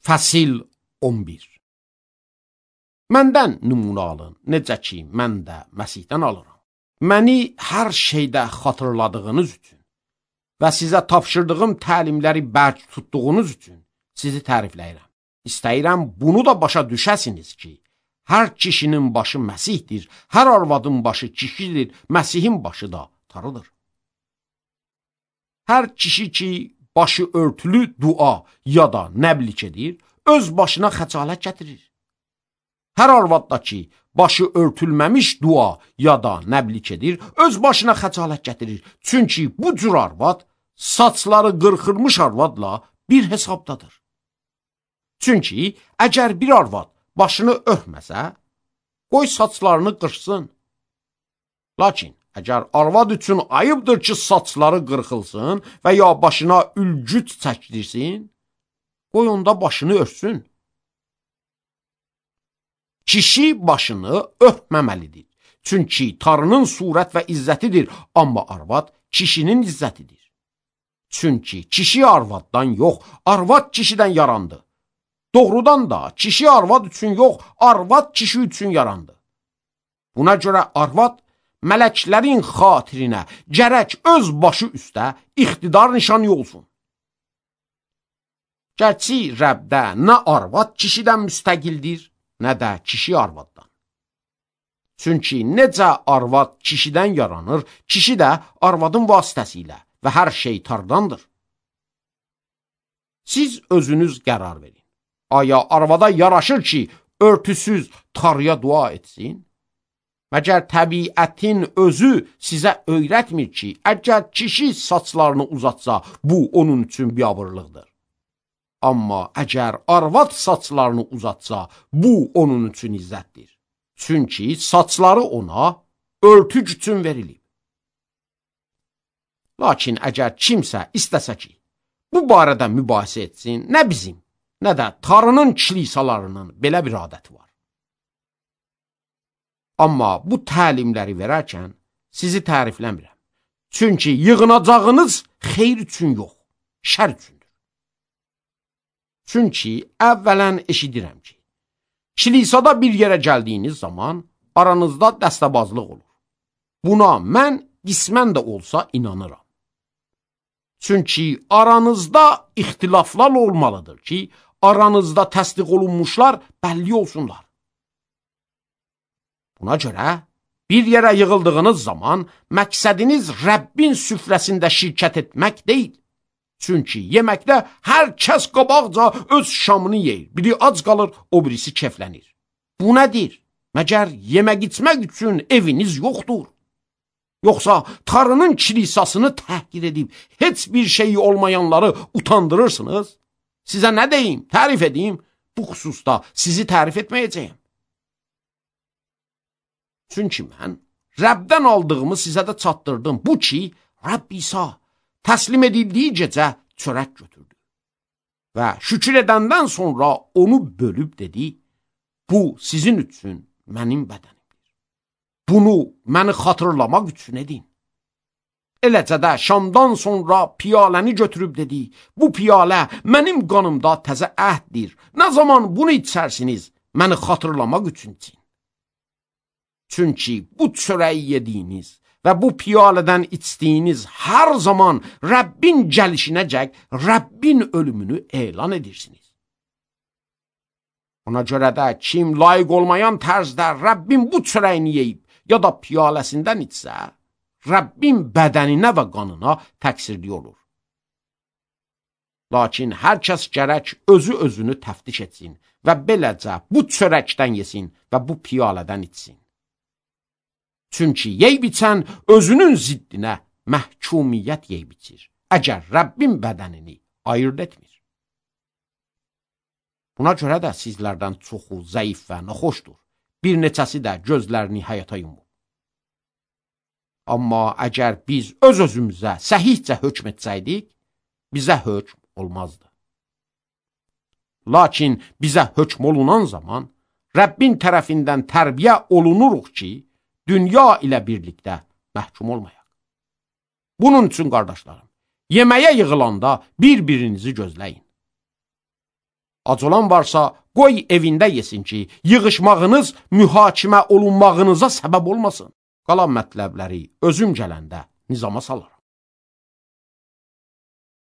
Fəsil 11. Məndən nümunə alın, necə ki, mən də Məsihdən alıram. Məni hər şeydə xatırladığınız üçün və sizə tapşırdığım təlimləri bərk tutduğunuz üçün sizi tərifləyirəm. İstəyirəm bunu da başa düşəsiniz ki, hər kişinin başı Məsihdir, hər arvadın başı kişidir, Məsihin başı da tarıdır. Hər kişi ki, başı örtülü dua ya da nəblik edir, öz başına xəcalət gətirir. Hər arvad da ki, başı örtülməmiş dua ya da nəblik edir, öz başına xəcalət gətirir. Çünki bu cür arvad, saçları qırxırmış arvadla bir hesabdadır. Çünki əgər bir arvad başını örtməsə, qoy saçlarını qırxsın. Lakin əgər arvad üçün ayıbdır ki, saçları qırxılsın və ya başına ülgüc çəkdirsin, qoy onda başını örtsün. Kişi başını örtməməlidir. Çünki tarının surət və izzətidir, amma arvad kişinin izzətidir. Çünki kişi arvaddan yox, arvad kişidən yarandı. Doğrudan da kişi arvad üçün yox, arvad kişi üçün yarandı. Buna görə arvad mələklərin xatirinə gərək öz başı üstə iqtidar nişanı olsun. Gərçi Rəbdə nə arvad kişidən müstəqildir, nə də kişi arvaddan. Çünki necə arvad kişidən yaranır, kişi də arvadın vasitəsilə və hər şey tardandır. Siz özünüz qərar verin. Aya arvada yaraşır ki, örtüsüz tarıya dua etsin? Məgər təbiətin özü sizə öyrətmir ki, əgər kişi saçlarını uzatsa, bu onun üçün biabırlıqdır. Amma əgər arvad saçlarını uzatsa, bu onun üçün izzətdir. Çünki saçları ona örtük üçün verilib. Lakin əgər kimsə istəsə ki, bu barədə mübahisə etsin, nə bizim, nə də tarının kilisalarının belə bir adəti var. Amma bu təlimləri verərkən sizi tərifləmirəm. Çünki yığınacağınız xeyr üçün yox, şər üçündür. Çünki əvvələn eşidirəm ki, kilisada bir yerə gəldiyiniz zaman aranızda dəstəbazlıq olur. Buna mən qismən də olsa inanıram. Çünki aranızda ixtilaflar olmalıdır ki, aranızda təsdiq olunmuşlar bəlli olsunlar. Buna görə bir yerə yığıldığınız zaman məqsədiniz Rəbbin süfrəsində şirkət etmək deyil. Çünki yeməkdə hər kəs qabaqca öz şamını yeyir. Biri ac qalır, o birisi keflənir. Bu nədir? Məgər yemək içmək üçün eviniz yoxdur? Yoxsa tarının kilisasını təhqir edib heç bir şeyi olmayanları utandırırsınız? Sizə nə deyim, tərif edeyim? Bu xüsusda sizi tərif etməyəcəyim. Çünki mən Rəbdən aldığımı sizə də çatdırdım. Bu ki, Rəbb İsa təslim edildiyi gecə çörək götürdü. Və şükür edəndən sonra onu bölüb dedi, bu sizin üçün mənim bədənimdir. Bunu məni xatırlamaq üçün edin. Eləcə də şamdan sonra piyaləni götürüb dedi, bu piyalə mənim qanımda təzə əhddir. Nə zaman bunu içərsiniz, məni xatırlamaq üçün için. Çünki bu çörəyi yediyiniz və bu piyalədən içdiyiniz hər zaman Rəbbin gəlişinəcək Rəbbin ölümünü elan edirsiniz. Ona görə də kim layiq olmayan tərzdə Rəbbin bu çörəyini yeyib ya da piyaləsindən içsə, Rəbbin bədəninə və qanına təqsirli olur. Lakin hər kəs gərək özünü təftiş etsin və beləcə bu çörəkdən yesin və bu piyalədən içsin. Çünki yeyb içən özünün ziddinə məhkumiyyət yeyb içir, əgər Rəbbin bədənini ayırt etmir. Buna görə də sizlərdən çoxu zəif və naxoşdur, bir neçəsi də gözlərini həyata yumur. Amma əgər biz öz-özümüzə səhihcə hökm etsəydik, bizə hökm olmazdı. Lakin bizə hökm olunan zaman Rəbbin tərəfindən tərbiyə olunuruq ki, dünya ilə birlikdə məhkum olmayaq. Bunun üçün, qardaşlarım, yeməyə yığılanda bir-birinizi gözləyin. Ac olan varsa qoy evində yesin ki, yığışmağınız mühakimə olunmağınıza səbəb olmasın. Qalan mətləbləri özüm gələndə nizama salaram.